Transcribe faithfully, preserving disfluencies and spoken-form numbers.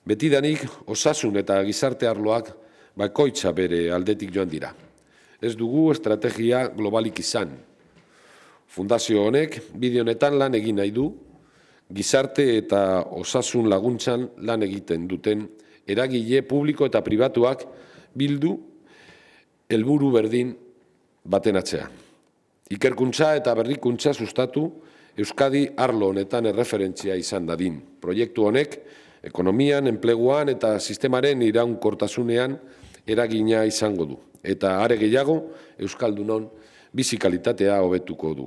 Betidanik osasun eta gizarte arloak bakoitza bere aldetik joan dira. Ez dugu estrategia globalik izan. Fundazio honek bide honetan lan egin nahi du, gizarte eta osasun laguntzan lan egiten duten eragile publiko eta pribatuak bildu helburu berdin baten atzean. Ikerkuntza eta berrikuntza sustatu Euskadi arlo honetan erreferentzia izan dadin. Proiektu honek ekonomian, enpleguan eta sistemaren iraunkortasunean eragina izango du. Eta are gehiago, Euskaldunon bizi kalitatea hobetuko du.